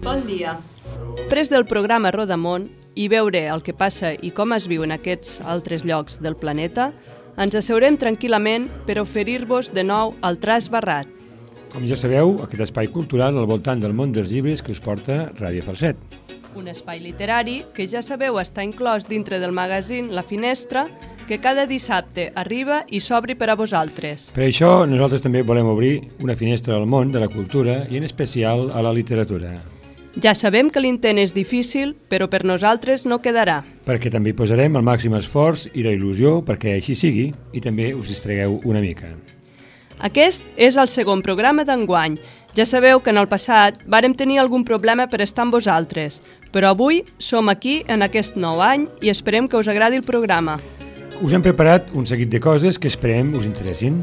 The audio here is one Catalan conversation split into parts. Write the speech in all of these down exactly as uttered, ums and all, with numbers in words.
Bon dia. Després del programa Rodamón i veure el que passa i com es viu en aquests altres llocs del planeta, ens asseurem tranquil·lament per oferir-vos de nou el Traç Barrat. Com ja sabeu, aquest espai cultural al voltant del món dels llibres que us porta Ràdio Falset. Un espai literari que ja sabeu està inclòs dintre del magazín La Finestra, que cada dissabte arriba i s'obri per a vosaltres. Per això nosaltres també volem obrir una finestra al món de la cultura i en especial a la literatura. Ja sabem que l'intent és difícil, però per nosaltres no quedarà. Perquè també hi posarem el màxim esforç i la il·lusió perquè així sigui i també us distregueu una mica. Aquest és el segon programa d'enguany. Ja sabeu que en el passat vàrem tenir algun problema per estar amb vosaltres, però avui som aquí en aquest nou any i esperem que us agradi el programa. Us hem preparat un seguit de coses que esperem us interessin.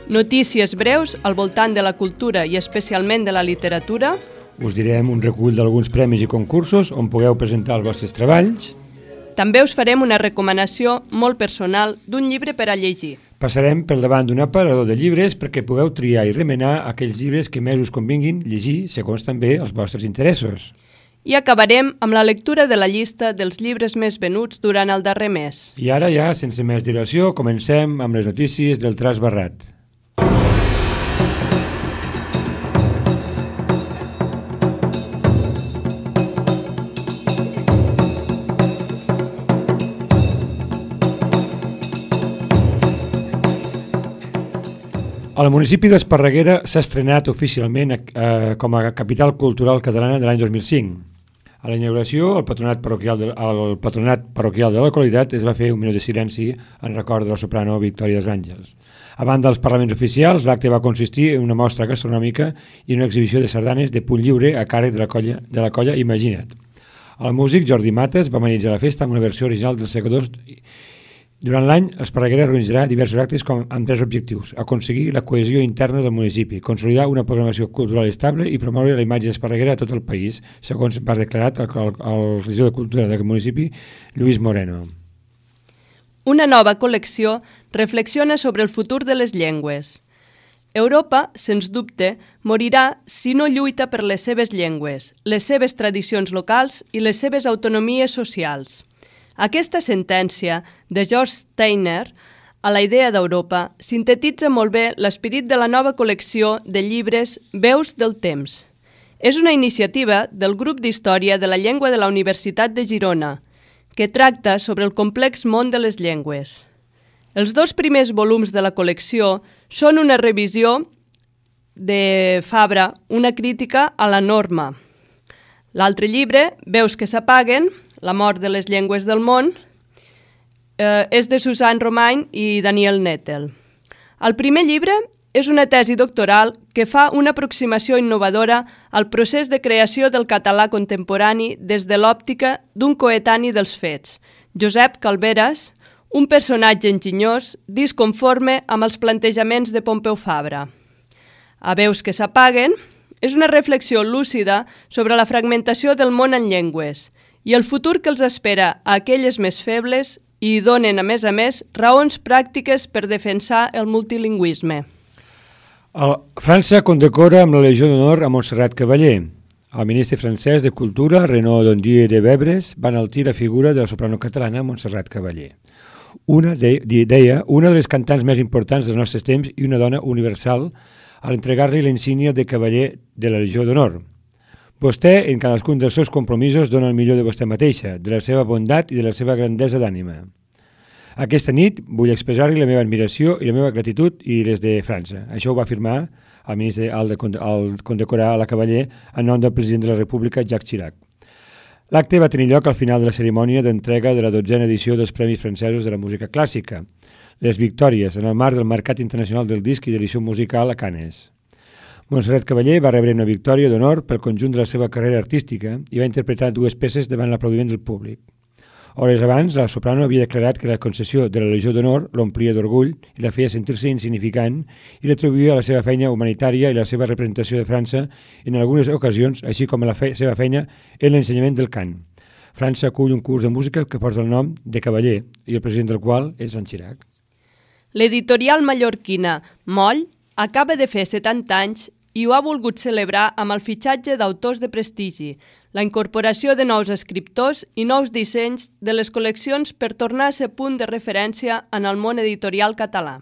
Notícies breus al voltant de la cultura i especialment de la literatura. Us direm un recull d'alguns premis i concursos on pugueu presentar els vostres treballs. També us farem una recomanació molt personal d'un llibre per a llegir. Passarem pel davant d'un aparador de llibres perquè pugueu triar i remenar aquells llibres que més us convinguin llegir segons també els vostres interessos. I acabarem amb la lectura de la llista dels llibres més venuts durant el darrer mes. I ara ja, sense més dilació, comencem amb les notícies del Traç Barrat. El municipi d'Esparreguera s'ha estrenat oficialment eh, com a capital cultural catalana de l'any dos mil cinc. A la inauguració, el patronat parroquial de, el patronat parroquial de la localitat es va fer un minut de silenci en record de la soprano Victòria dels Àngels. A banda dels parlaments oficials, l'acte va consistir en una mostra gastronòmica i una exhibició de sardanes de punt lliure a càrrec de la colla, de la colla Imagina't. El músic Jordi Mates va amenitzar la festa amb una versió original dels segadors. Durant l'any, Esparreguera organitzarà diversos actes com, amb tres objectius: aconseguir la cohesió interna del municipi, consolidar una programació cultural estable i promoure la imatge d'Esparreguera a tot el país, segons va declarat el, el, el regidor de Cultura d'aquest municipi, Lluís Moreno. Una nova col·lecció reflexiona sobre el futur de les llengües. Europa, sens dubte, morirà si no lluita per les seves llengües, les seves tradicions locals i les seves autonomies socials. Aquesta sentència de George Steiner a la idea d'Europa sintetitza molt bé l'esperit de la nova col·lecció de llibres Veus del temps. És una iniciativa del grup d'Història de la Llengua de la Universitat de Girona, que tracta sobre el complex món de les llengües. Els dos primers volums de la col·lecció són una revisió de Fabra, una crítica a la norma. L'altre llibre, Veus que s'apaguen, La mort de les llengües del món, eh, és de Susan Romain i Daniel Nettel. El primer llibre és una tesi doctoral que fa una aproximació innovadora al procés de creació del català contemporani des de l'òptica d'un coetani dels fets, Josep Calveras, un personatge enginyós disconforme amb els plantejaments de Pompeu Fabra. A Veus que s'apaguen és una reflexió lúcida sobre la fragmentació del món en llengües i el futur que els espera a aquelles més febles i donen, a més a més, raons pràctiques per defensar el multilingüisme. El França condecora amb la Legió d'Honor a Montserrat Cavaller. El ministre francès de Cultura, Renaud Dondieu de Bebres, va enaltir la figura de la soprano catalana Montserrat Cavaller. Una, de, deia, una de les cantants més importants dels nostres temps i una dona universal al entregar-li la insígnia de Cavaller de la Legió d'Honor. Vostè, en cadascun dels seus compromisos, dona el millor de vostè mateixa, de la seva bondat i de la seva grandesa d'ànima. Aquesta nit vull expressar-li la meva admiració i la meva gratitud i les de França. Això ho va afirmar el ministre al, de, al condecorar a la Cavaller en nom del president de la República, Jacques Chirac. L'acte va tenir lloc al final de la cerimònia d'entrega de la dotzena edició dels Premis Francesos de la Música Clàssica, les Victòries, en el marc del Mercat Internacional del Disc i de l'Edició Musical a Canes. Montserrat Cavaller va rebre una victòria d'honor pel conjunt de la seva carrera artística i va interpretar dues peces davant l'aplaudiment del públic. Hores abans, la soprano havia declarat que la concessió de la Legió d'Honor l'omplia d'orgull i la feia sentir-se insignificant i l'atribuïa a la seva feina humanitària i la seva representació de França en algunes ocasions, així com a la fe seva feina en l'ensenyament del cant. França acull un curs de música que porta el nom de Cavaller i el president del qual és Joan Chirac. L'editorial mallorquina Moll acaba de fer setanta anys i ho ha volgut celebrar amb el fitxatge d'autors de prestigi, la incorporació de nous escriptors i nous dissenys de les col·leccions per tornar a ser punt de referència en el món editorial català.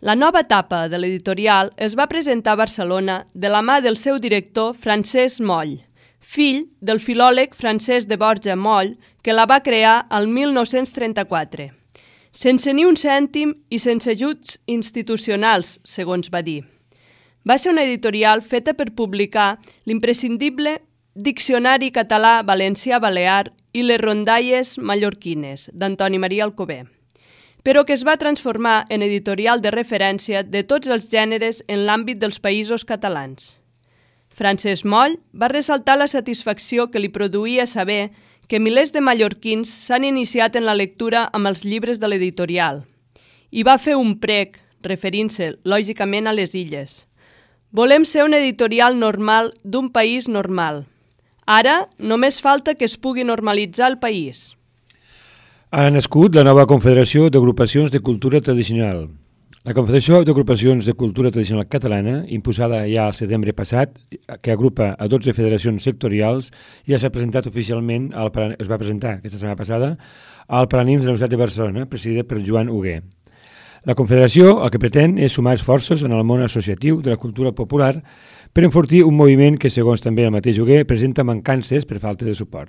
La nova etapa de l'editorial es va presentar a Barcelona de la mà del seu director Francesc Moll, fill del filòleg Francesc de Borja Moll, que la va crear el mil nou-cents trenta-quatre. Sense ni un cèntim i sense ajuts institucionals, segons va dir. Va ser una editorial feta per publicar l'imprescindible Diccionari català valencià-balear i les rondalles mallorquines, d'Antoni Maria Alcover, però que es va transformar en editorial de referència de tots els gèneres en l'àmbit dels països catalans. Francesc Moll va ressaltar la satisfacció que li produïa saber que milers de mallorquins s'han iniciat en la lectura amb els llibres de l'editorial i va fer un prec, referint-se lògicament a les illes. Volem ser una editorial normal d'un país normal. Ara només falta que es pugui normalitzar el país. Ha nascut la nova Confederació d'Agrupacions de Cultura Tradicional. La Confederació d'Agrupacions de Cultura Tradicional Catalana, imposada ja al setembre passat, que agrupa a dotze federacions sectorials, ja s'ha presentat oficialment, al, es va presentar aquesta setmana passada, al Paranims de la Universitat de Barcelona, presidida per Joan Huguer. La Confederació el que pretén és sumar esforços en el món associatiu de la cultura popular per enfortir un moviment que, segons també el mateix Huguer, presenta mancances per falta de suport.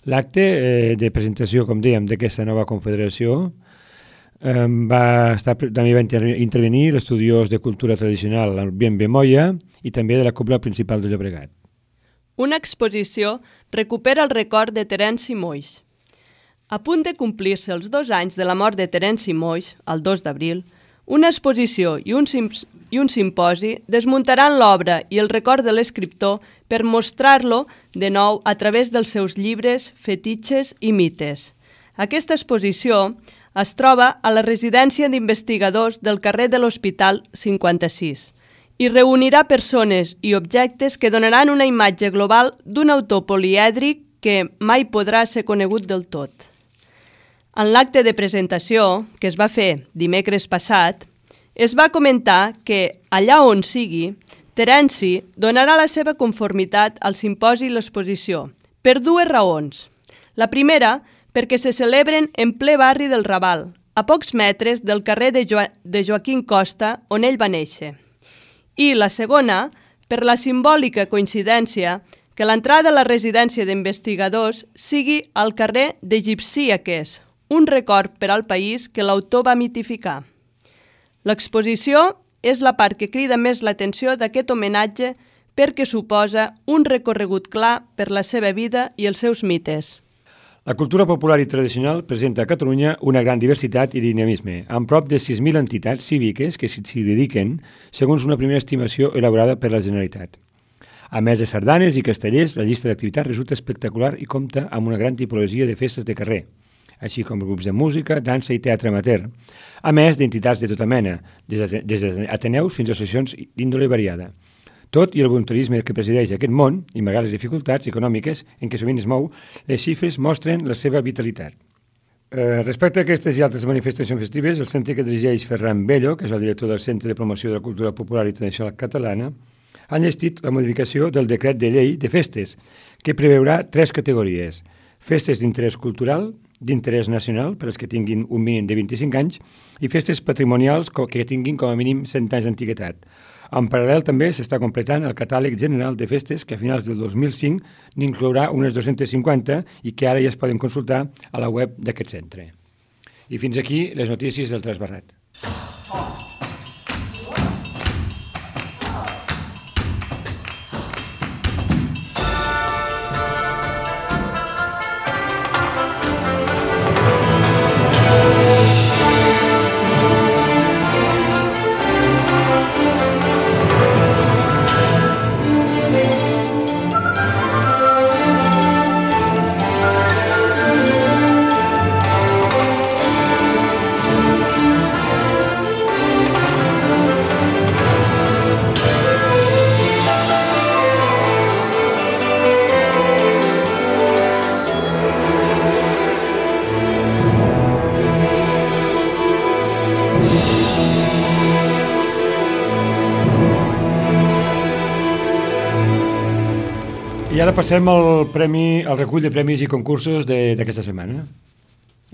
L'acte eh, de presentació, com dèiem, d'aquesta nova confederació eh, va estar, també va inter intervenir l'estudiós de cultura tradicional, el Bienve Moya, i també de la Cobla Principal de Llobregat. Una exposició recupera el record de Terenci Moix. A punt de complir-se els dos anys de la mort de Terenci Moix, el dos d'abril, una exposició i un, i un simposi desmuntaran l'obra i el record de l'escriptor per mostrar-lo de nou a través dels seus llibres, fetitxes i mites. Aquesta exposició es troba a la residència d'investigadors del carrer de l'Hospital cinquanta-sis i reunirà persones i objectes que donaran una imatge global d'un autor polièdric que mai podrà ser conegut del tot. En l'acte de presentació, que es va fer dimecres passat, es va comentar que, allà on sigui, Terenci donarà la seva conformitat al simposi i l'exposició, per dues raons. La primera, perquè se celebren en ple barri del Raval, a pocs metres del carrer de, jo de Joaquim Costa, on ell va néixer. I la segona, per la simbòlica coincidència que l'entrada a la residència d'investigadors sigui al carrer d'Egipcíaques, un record per al país que l'autor va mitificar. L'exposició és la part que crida més l'atenció d'aquest homenatge perquè suposa un recorregut clar per la seva vida i els seus mites. La cultura popular i tradicional presenta a Catalunya una gran diversitat i dinamisme, amb prop de sis mil entitats cíviques que s'hi dediquen, segons una primera estimació elaborada per la Generalitat. A més de sardanes i castellers, la llista d'activitats resulta espectacular i compta amb una gran tipologia de festes de carrer, així com grups de música, dansa i teatre amateur, a més d'entitats de tota mena, des d'ateneus fins a associacions d'índole variada. Tot i el voluntarisme que presideix aquest món, i malgrat les dificultats econòmiques en què sovint es mou, les xifres mostren la seva vitalitat. Eh, respecte a aquestes i altres manifestacions festives, el centre que dirigeix Ferran Bello, que és el director del Centre de Promoció de la Cultura Popular i Tradicional Catalana, ha enllestit la modificació del decret de llei de festes, que preveurà tres categories: festes d'interès cultural, d'interès nacional, per als que tinguin un mínim de vint-i-cinc anys, i festes patrimonials que tinguin com a mínim cent anys d'antiguitat. En paral·lel també s'està completant el catàleg general de festes que a finals del dos mil cinc n'inclourà unes dues-centes cinquanta i que ara ja es poden consultar a la web d'aquest centre. I fins aquí les notícies del Trasbarrat. I ara passem al, premi, al recull de premis i concursos d'aquesta setmana.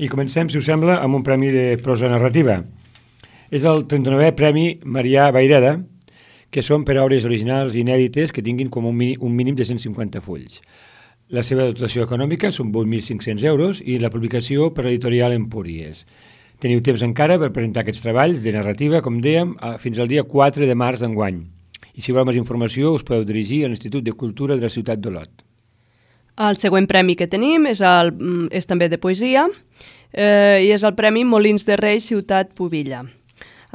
I comencem, si us sembla, amb un premi de prosa narrativa. És el trenta-novè Premi Marià Vayreda, que són per a obres originals inèdites que tinguin com un, mínim, un mínim de cent cinquanta fulls. La seva dotació econòmica són vuit mil cinc-cents euros i la publicació per l'editorial Empúries. Teniu temps encara per presentar aquests treballs de narrativa, com dèiem, fins al dia quatre de març d'enguany. I si voleu més informació us podeu dirigir a l'Institut de Cultura de la ciutat d'Olot. El següent premi que tenim és, el, és també de poesia eh, i és el Premi Molins de Rei Ciutat Pubilla.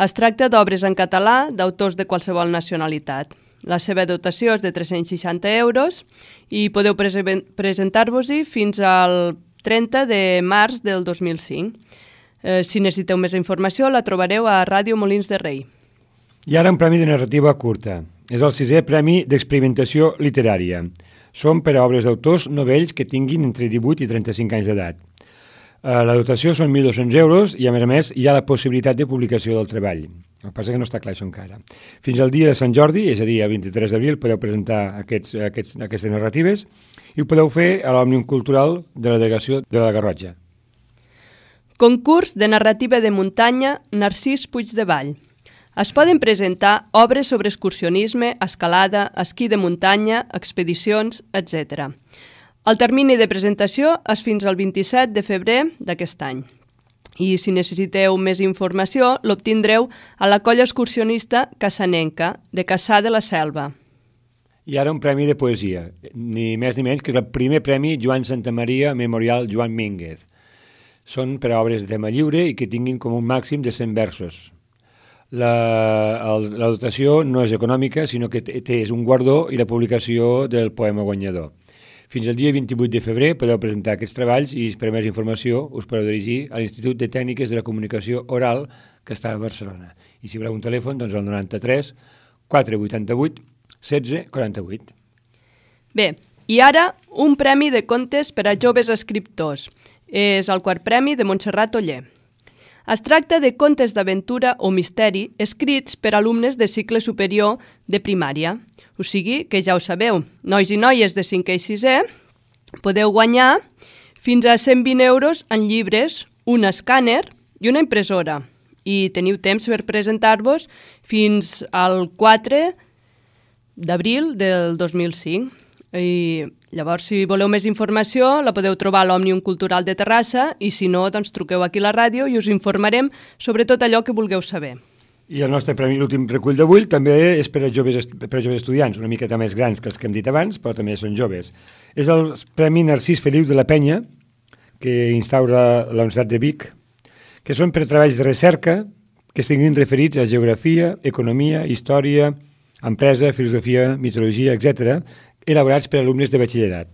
Es tracta d'obres en català d'autors de qualsevol nacionalitat. La seva dotació és de tres-cents seixanta euros i podeu prese presentar-vos-hi fins al trenta de març del dos mil cinc. Eh, si necessiteu més informació la trobareu a Ràdio Molins de Rei. I ara un premi de narrativa curta. És el sisè Premi d'Experimentació Literària. Són per a obres d'autors novells que tinguin entre divuit i trenta-cinc anys d'edat. La dotació són mil dos-cents euros i, a més a més, hi ha la possibilitat de publicació del treball. El que passa que no està clar això encara. Fins al dia de Sant Jordi, és a dir, el vint-i-tres d'abril, podeu presentar aquests, aquests, aquestes narratives i ho podeu fer a l'Òmnium Cultural de la Delegació de la Garrotxa. Concurs de narrativa de muntanya Narcís Puigdevall. Es poden presentar obres sobre excursionisme, escalada, esquí de muntanya, expedicions, etcètera. El termini de presentació és fins al vint-i-set de febrer d'aquest any. I si necessiteu més informació, l'obtindreu a la colla excursionista Cassanenca, de Cassà de la Selva. I ara un premi de poesia, ni més ni menys que és el primer premi Joan Santamaria Memorial Joan Mínguez. Són per a obres de tema lliure i que tinguin com un màxim de cent versos. La, el, la dotació no és econòmica, sinó que té, és un guardó i la publicació del poema guanyador. Fins al dia vint-i-vuit de febrer podeu presentar aquests treballs i per a més informació us podeu dirigir a l'Institut de Tècniques de la Comunicació Oral que està a Barcelona. I si voleu un telèfon, doncs el noranta-tres quatre vuitanta-vuit setze quaranta-vuit. Bé, i ara un premi de contes per a joves escriptors. És el quart premi de Montserrat Oller. Es tracta de contes d'aventura o misteri escrits per alumnes de cicle superior de primària. O sigui que ja ho sabeu, nois i noies de cinquè i sisè podeu guanyar fins a cent vint euros en llibres, un escàner i una impressora. I teniu temps per presentar-vos fins al quatre d'abril del dos mil cinc. I llavors, si voleu més informació, la podeu trobar a l'Òmnium Cultural de Terrassa i si no, doncs truqueu aquí a la ràdio i us informarem sobre tot allò que vulgueu saber. I el nostre premi, l'últim recull d'avui, també és per a, joves, per a joves estudiants, una miqueta més grans que els que hem dit abans, però també són joves. És el Premi Narcís Feliu de la Penya, que instaura la Universitat de Vic, que són per a treballs de recerca que estiguin referits a geografia, economia, història, empresa, filosofia, mitologia, etcètera, elaborats per alumnes de batxillerat.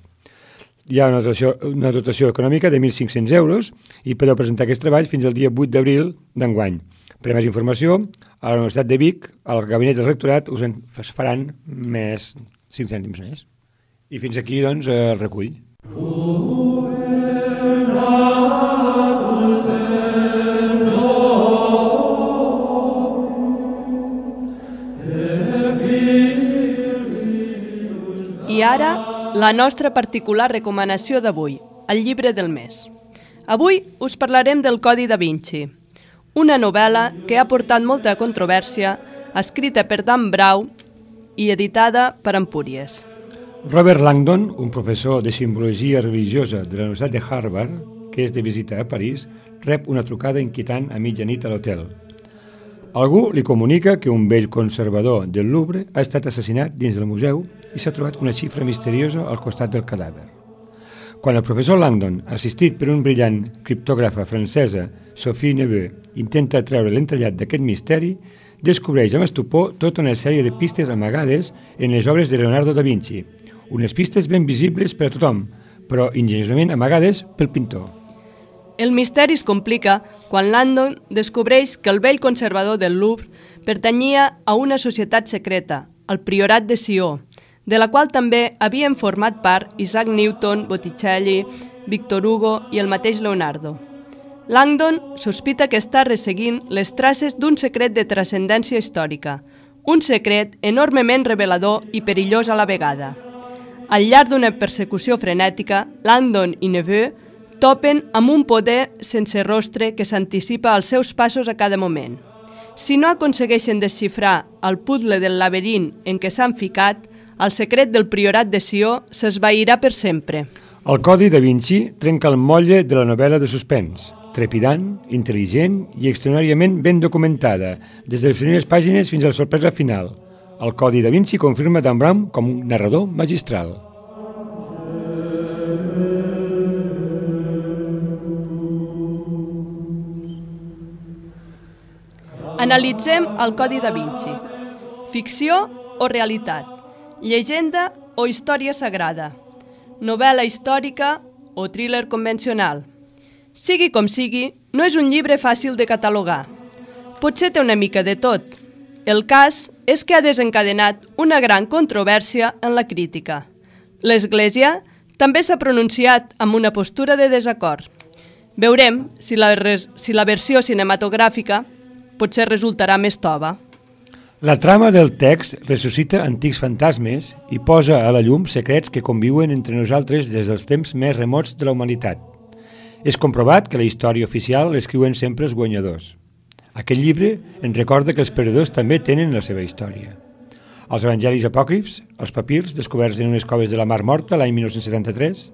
Hi ha una dotació, una dotació econòmica de mil cinc-cents euros i podeu presentar aquests treballs fins al dia vuit d'abril d'enguany. Per a més informació, a la Universitat de Vic, al gabinet del rectorat, us en faran més cinc cèntims més. I fins aquí, doncs, el recull. I ara, la nostra particular recomanació d'avui, el llibre del mes. Avui us parlarem del Codi da Vinci, una novel·la que ha portat molta controvèrsia, escrita per Dan Brown i editada per Empúries. Robert Langdon, un professor de simbologia religiosa de la Universitat de Harvard, que és de visita a París, rep una trucada inquietant a mitjanit a l'hotel. Algú li comunica que un vell conservador del Louvre ha estat assassinat dins del museu i s'ha trobat una xifra misteriosa al costat del cadàver. Quan el professor Langdon, assistit per un brillant criptògrafa francesa, Sophie Neveu, intenta treure l'entrellat d'aquest misteri, descobreix amb estupor tota una sèrie de pistes amagades en les obres de Leonardo da Vinci, unes pistes ben visibles per a tothom, però ingeniosament amagades pel pintor. El misteri es complica quan Langdon descobreix que el vell conservador del Louvre pertanyia a una societat secreta, el Priorat de Sió, de la qual també havien format part Isaac Newton, Botticelli, Victor Hugo i el mateix Leonardo. Langdon sospita que està resseguint les traces d'un secret de transcendència històrica, un secret enormement revelador i perillós a la vegada. Al llarg d'una persecució frenètica, Langdon i Neveu topen amb un poder sense rostre que s'anticipa als seus passos a cada moment. Si no aconsegueixen desxifrar el puzzle del laberint en què s'han ficat, el secret del priorat de Sió s'esvairà per sempre. El Codi da Vinci trenca el motlle de la novel·la de suspens, trepidant, intel·ligent i extraordinàriament ben documentada, des de les primeres pàgines fins a la sorpresa final. El Codi da Vinci confirma Dan Brown com un narrador magistral. Analitzem el Codi da Vinci. Ficció o realitat? Llegenda o història sagrada? Novel·la històrica o thriller convencional? Sigui com sigui, no és un llibre fàcil de catalogar. Potser té una mica de tot. El cas és que ha desencadenat una gran controvèrsia en la crítica. L'Església també s'ha pronunciat amb una postura de desacord. Veurem si la, res, si la versió cinematogràfica potser resultarà més tova. La trama del text ressuscita antics fantasmes i posa a la llum secrets que conviuen entre nosaltres des dels temps més remots de la humanitat. És comprovat que la història oficial l'escriuen sempre els guanyadors. Aquest llibre ens recorda que els perdedors també tenen la seva història. Els evangelis apòcrifs, els papirs descoberts en unes coves de la Mar Morta l'any mil nou-cents setanta-tres,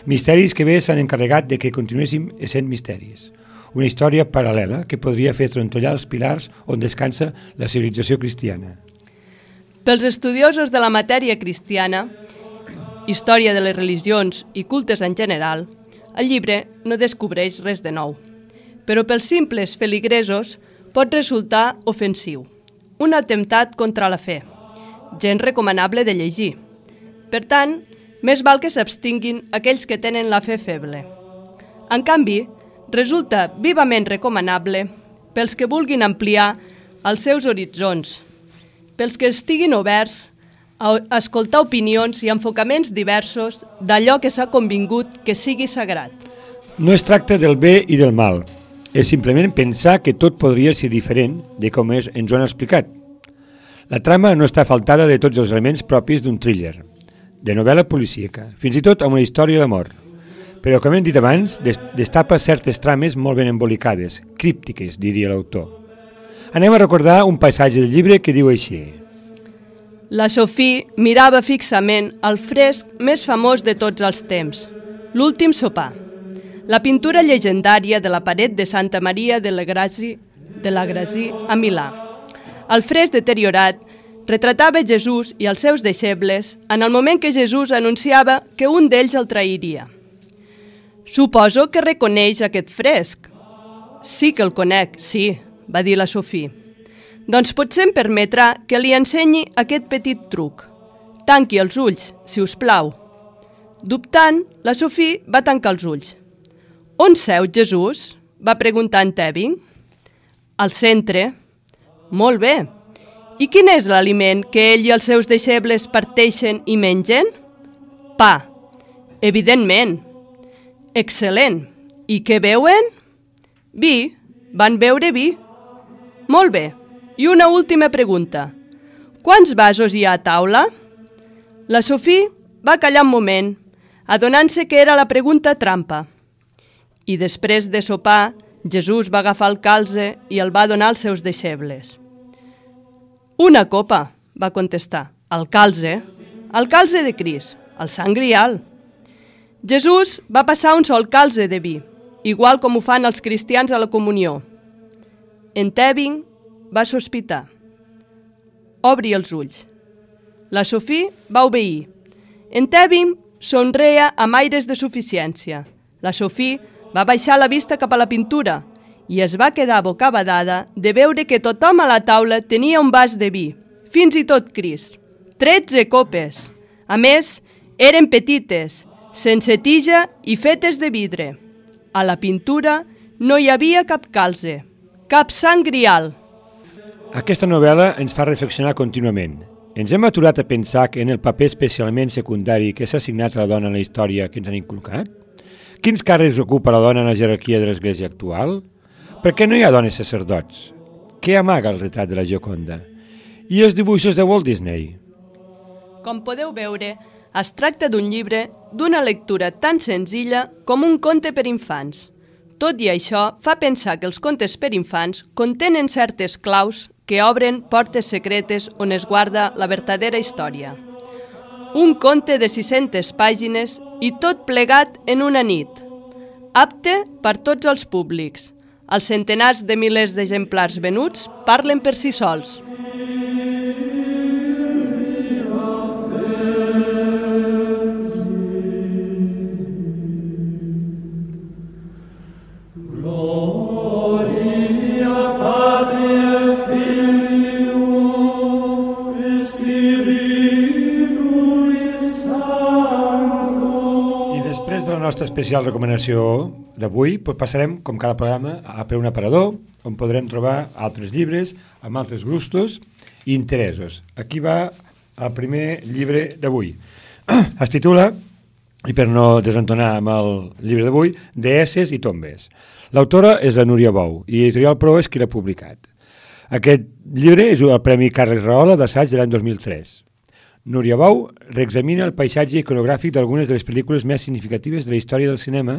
misteris que bé s'han encarregat de que continuéssim essent misteris. Una història paral·lela que podria fer trontollar els pilars on descansa la civilització cristiana. Pels estudiosos de la matèria cristiana, història de les religions i cultes en general, el llibre no descobreix res de nou. Però pels simples feligresos pot resultar ofensiu. Un atemptat contra la fe. Gens recomanable de llegir. Per tant, més val que s'abstinguin aquells que tenen la fe feble. En canvi, resulta vivament recomanable pels que vulguin ampliar els seus horitzons, pels que estiguin oberts a escoltar opinions i enfocaments diversos d'allò que s'ha convingut que sigui sagrat. No es tracta del bé i del mal, és simplement pensar que tot podria ser diferent de com és, ens ho han explicat. La trama no està faltada de tots els elements propis d'un thriller, de novel·la policíaca, fins i tot amb una història d'amor. Però, com hem dit abans, destapa certes trames molt ben embolicades, críptiques, diria l'autor. Anem a recordar un passatge del llibre que diu així. La Sophie mirava fixament el fresc més famós de tots els temps, l'Últim sopar, la pintura llegendària de la paret de Santa Maria de la Grazi, de la Grazi a Milà. El fresc deteriorat retratava Jesús i els seus deixebles en el moment que Jesús anunciava que un d'ells el trairia. Suposo que reconeix aquest fresc. Sí que el conec, sí, va dir la Sophie. Doncs potser em permetrà que li ensenyi aquest petit truc. Tanqui els ulls, si us plau. Dubtant, la Sophie va tancar els ulls. On seu Jesús? Va preguntar en Tevin. Al centre. Molt bé. I quin és l'aliment que ell i els seus deixebles parteixen i mengen? Pa. Evidentment. Excel·lent. I què beuen? Vi. Van beure vi. Molt bé. I una última pregunta. Quants vasos hi ha a taula? La Sophie va callar un moment, adonant-se que era la pregunta trampa. I després de sopar, Jesús va agafar el calze i el va donar als seus deixebles. Una copa, va contestar. El calze? El calze de Crist, el sant grial. Jesús va passar un sol calze de vi, igual com ho fan els cristians a la comunió. En Tevin va sospitar. Obri els ulls. La Sophie va obeir. En Tevin somreia amb aires de suficiència. La Sophie va baixar la vista cap a la pintura i es va quedar bocabadada de veure que tothom a la taula tenia un vas de vi, fins i tot Crist. Tretze copes. A més, eren petites, sense tija i fetes de vidre. A la pintura no hi havia cap calze, cap sant grial. Aquesta novel·la ens fa reflexionar contínuament. Ens hem aturat a pensar que en el paper especialment secundari que s'ha assignat a la dona en la història que ens han inculcat? Quins càrrecs ocupa la dona en la jerarquia de l'Església actual? Per què no hi ha dones sacerdots? Què amaga el retrat de la Gioconda? I els dibuixos de Walt Disney? Com podeu veure, Es tracta d'un llibre d'una lectura tan senzilla com un conte per infants. Tot i això, fa pensar que els contes per infants contenen certes claus que obren portes secretes on es guarda la vertadera història. Un conte de sis-centes pàgines i tot plegat en una nit. Apte per tots els públics. Els centenars de milers d'exemplars venuts parlen per si sols. Nostra especial recomanació d'avui, passarem, com cada programa, a per un aparador on podrem trobar altres llibres amb altres gustos i interessos. Aquí va el primer llibre d'avui. Es titula, i per no desentonar amb el llibre d'avui, Deesses i tombes. L'autora és la Núria Bou i Editorial Pro és qui l'ha publicat. Aquest llibre és el Premi Carles Rahola d'assaig de l'any dos mil tres. Núria Bou reexamina el paisatge iconogràfic d'algunes de les pel·lícules més significatives de la història del cinema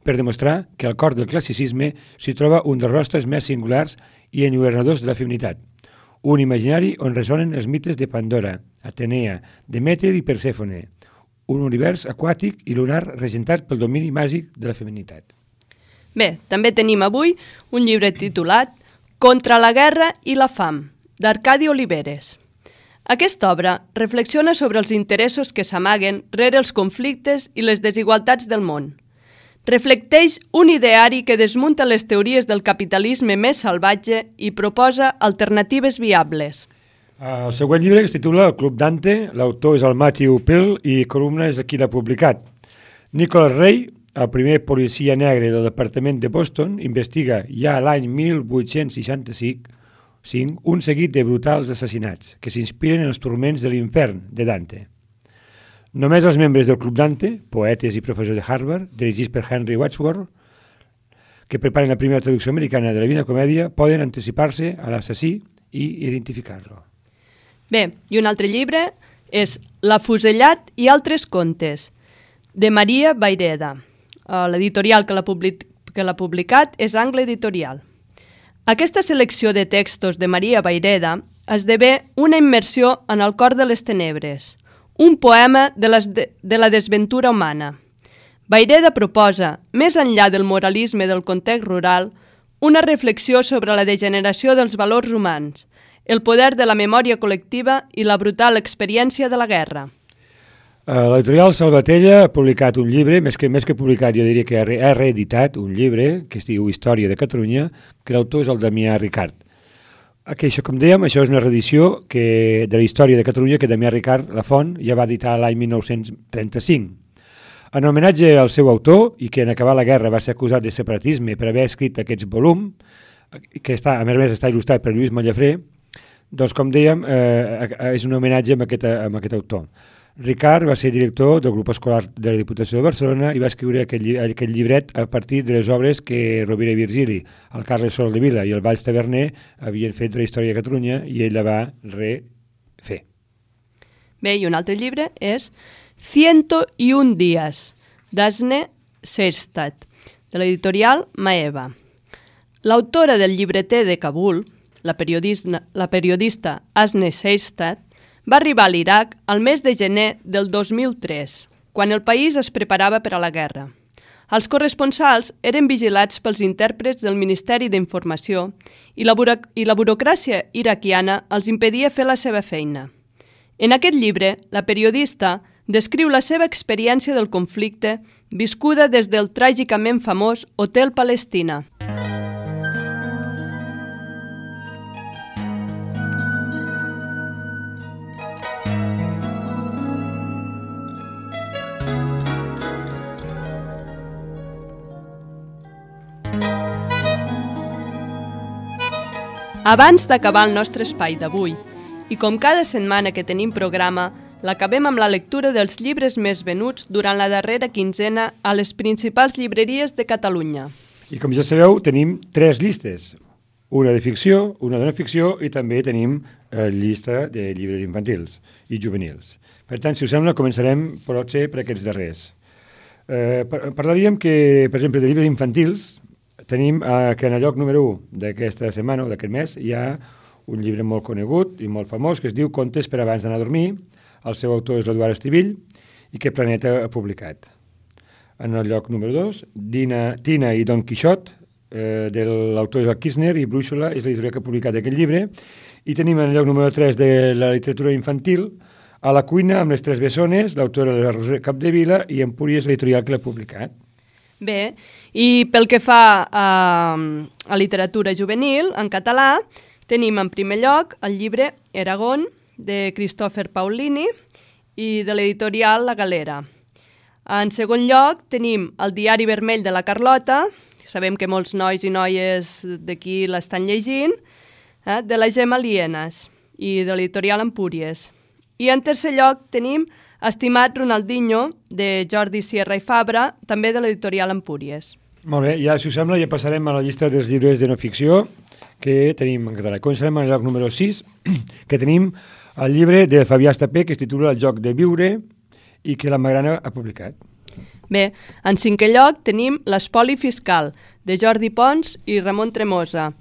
per demostrar que al cor del classicisme s'hi troba un dels rostres més singulars i enlluernadors de la feminitat. Un imaginari on ressonen els mites de Pandora, Atenea, Demeter i Persèfone. Un univers aquàtic i lunar regentat pel domini màgic de la feminitat. Bé, també tenim avui un llibre titulat Contra la guerra i la fam, d'Arcadi Oliveres. Aquesta obra reflexiona sobre els interessos que s'amaguen rere els conflictes i les desigualtats del món. Reflecteix un ideari que desmunta les teories del capitalisme més salvatge i proposa alternatives viables. El següent llibre es titula El Club Dante, l'autor és el Matthew Pearl i Columna és qui l'ha publicat. Nicholas Ray, el primer policia negre del departament de Boston, investiga ja l'any mil vuit-cents seixanta-cinc un seguit de brutals assassinats que s'inspiren en els turments de l'infern de Dante. Només els membres del Club Dante, poetes i professors de Harvard, dirigits per Henry Wadsworth, que preparen la primera traducció americana de la Divina Comèdia, poden anticipar-se a l'assassí i identificar-lo. Bé, i un altre llibre és L'afusellat i altres contes, de Maria Vayreda. L'editorial que l'ha public- que l'ha publicat és Angle Editorial. Aquesta selecció de textos de Maria Vayreda esdevé una immersió en el cor de les tenebres, un poema de, les de, de la desventura humana. Vayreda proposa, més enllà del moralisme del context rural, una reflexió sobre la degeneració dels valors humans, el poder de la memòria col·lectiva i la brutal experiència de la guerra. L'editorial Salvatella ha publicat un llibre, més que, més que publicat, jo diria que ha, re, ha reeditat un llibre que es diu Història de Catalunya, que l'autor és el Damià Ricart. Aquí, això, com dèiem, això és una reedició que, de la Història de Catalunya que Damià Ricart, la font, ja va editar l'any mil nou-cents trenta-cinc. En homenatge al seu autor, i que en acabar la guerra va ser acusat de separatisme per haver escrit aquest volum, que està, a més a més està il·lustrat per Lluís Mallafré, doncs, com dèiem, eh, és un homenatge amb aquest, amb aquest autor. Ricart va ser director del grup escolar de la Diputació de Barcelona i va escriure aquest, lli aquest llibret a partir de les obres que Rovira i Virgili, el Carles Soldevila i el Valls Taverner havien fet de la història de Catalunya i ell la va refer. Bé, i un altre llibre és Ciento y un días, d'Asne Seistat, de l'editorial Maeva. L'autora del llibreter de Kabul, la periodista, la periodista Asne Seistat, va arribar a l'Iraq al mes de gener del dos mil tres, quan el país es preparava per a la guerra. Els corresponsals eren vigilats pels intèrprets del Ministeri d'Informació i la, i la burocràcia iraquiana els impedia fer la seva feina. En aquest llibre, la periodista descriu la seva experiència del conflicte viscuda des del tràgicament famós Hotel Palestina. Abans d'acabar el nostre espai d'avui, i com cada setmana que tenim programa, l'acabem amb la lectura dels llibres més venuts durant la darrera quinzena a les principals llibreries de Catalunya. I com ja sabeu, tenim tres llistes. una de ficció, una de no ficció i també tenim eh, llista de llibres infantils i juvenils. Per tant, si us sembla, començarem potser per aquests darrers. Eh, parlaríem que, per exemple, de llibres infantils, tenim eh, que en el lloc número u d'aquesta setmana o d'aquest mes hi ha un llibre molt conegut i molt famós que es diu Contes per abans d'anar a dormir. El seu autor és l'Eduard Estivill i que Planeta ha publicat. En el lloc número dos, Dina, Tina i Don Quixot, eh, de l'autor és el Kirchner i Brúixola és l'editorial que ha publicat aquest llibre. I tenim en el lloc número tres de la literatura infantil A la cuina amb les tres bessones, l'autora és la Roser Capdevila i Empúries, l'editorial que l'ha publicat. Bé, i pel que fa a, a literatura juvenil, en català, tenim en primer lloc el llibre Eragon, de Christopher Paolini i de l'editorial La Galera. En segon lloc, tenim el Diari Vermell de la Carlota, sabem que molts nois i noies d'aquí l'estan llegint, eh, de la Gemma Lienas i de l'editorial Empúries. I en tercer lloc tenim Estimat Ronaldinho, de Jordi Sierra i Fabra, també de l'editorial Empúries. Molt bé, ja, si us sembla, ja passarem a la llista dels llibres de no ficció que tenim en català. Començarem al lloc número sis, que tenim el llibre de Fabià Estapé, que es titula El joc de viure i que la Magrana ha publicat. Bé, en cinquè lloc tenim L'espoli fiscal, de Jordi Pons i Ramon Tremosa.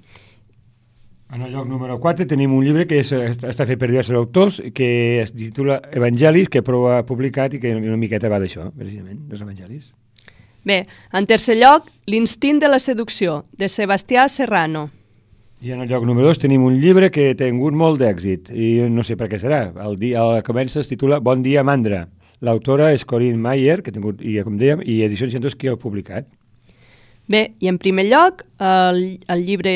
En el lloc número quatre tenim un llibre que és, està fet per diversos autors, que es titula Evangelis, que prou ha publicat i que una miqueta va d'això, precisament, dels Evangelis. Bé, en tercer lloc, L'instint de la seducció, de Sebastià Serrano. I en el lloc número dos tenim un llibre que ha tingut molt d'èxit, i no sé per què serà. El dia el comença es titula Bon dia, Mandra. L'autora és Corinne Mayer, que ha tingut, i com dèiem, i Edicions Centros, que ha publicat. Bé, i en primer lloc, el, el llibre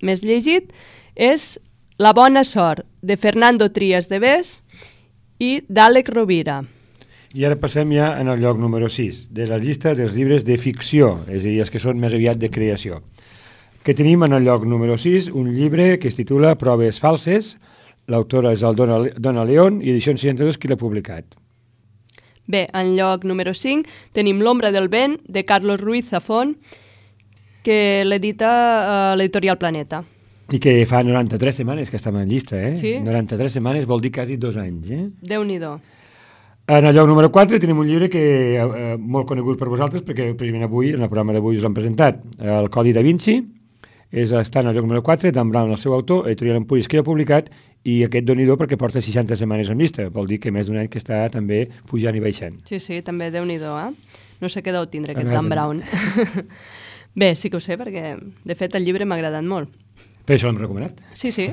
més llegit és La bona sort, de Fernando Trias de Bes i d'Àlex Rovira. I ara passem ja en el lloc número sis, de la llista dels llibres de ficció, és a dir, els que són més aviat de creació. Que tenim en el lloc número sis un llibre que es titula Proves falses, l'autora és el Dona, Dona León i Edicions seixanta-dos qui l'ha publicat. Bé, en lloc número cinc tenim L'ombra del vent, de Carlos Ruiz Zafón, que l'edita uh, l'editorial Planeta. I que fa noranta-tres setmanes que estem en llista, eh? Sí. noranta-tres setmanes vol dir quasi dos anys, eh? Déu-n'hi-do. En el lloc número quatre tenim un llibre que eh, molt conegut per vosaltres, perquè precisament avui, en el programa d'avui us l'hem presentat, el Codi da Vinci, és, està en el lloc número quatre, Dan Brown, el seu autor, editorial Empúries, que l'ha publicat, i aquest Déu-n'hi-do perquè porta seixanta setmanes en llista, vol dir que més d'un any que està també pujant i baixant. Sí, sí, també Déu-n'hi-do, eh? No sé què deu tindre aquest Dan Brown. Bé, sí que ho sé, perquè de fet el llibre m'ha agradat molt. Per això l'hem recomanat. Sí, sí.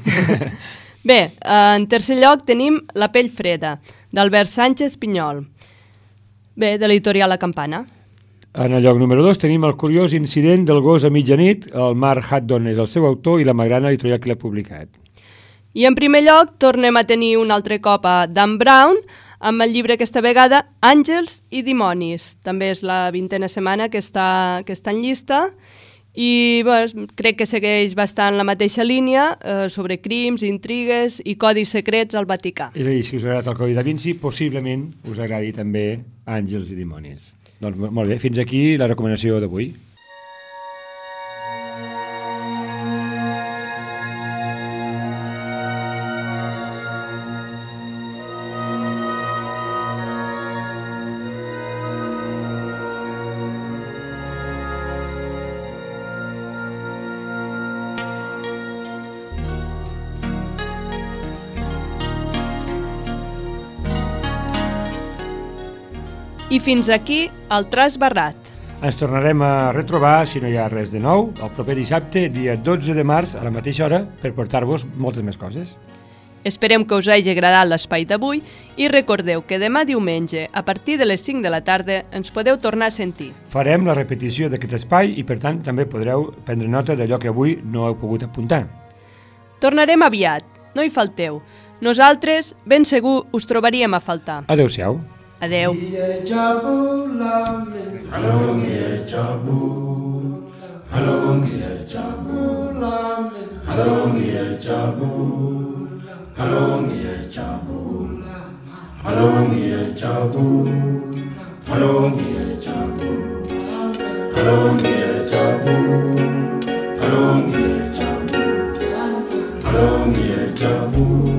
Bé, en tercer lloc tenim La pell freda, d'Albert Sánchez Pinyol. Bé, de l'editorial La Campana. En el lloc número dos tenim El curiós incident del gos a mitjanit, el Mark Haddon és el seu autor i la Magrana editorial que l'ha publicat. I en primer lloc tornem a tenir un altre cop a Dan Brown, amb el llibre aquesta vegada Àngels i dimonis. També és la vintena setmana que està, que està en llista i bé, crec que segueix bastant la mateixa línia eh, sobre crims, intrigues i codis secrets al Vaticà. És a dir, si us ha agradat el Codi da Vinci, possiblement us agradi també Àngels i dimonis. Doncs molt bé, fins aquí la recomanació d'avui. I fins aquí el Tras Barrat. Ens tornarem a retrobar, si no hi ha res de nou, el proper dissabte, dia dotze de març, a la mateixa hora, per portar-vos moltes més coses. Esperem que us hagi agradat l'espai d'avui i recordeu que demà diumenge, a partir de les cinc de la tarda, ens podeu tornar a sentir. Farem la repetició d'aquest espai i, per tant, també podreu prendre nota d'allò que avui no heu pogut apuntar. Tornarem aviat, no hi falteu. Nosaltres, ben segur, us trobaríem a faltar. Adéu-siau. Adéu. Hello, Long year Jamu.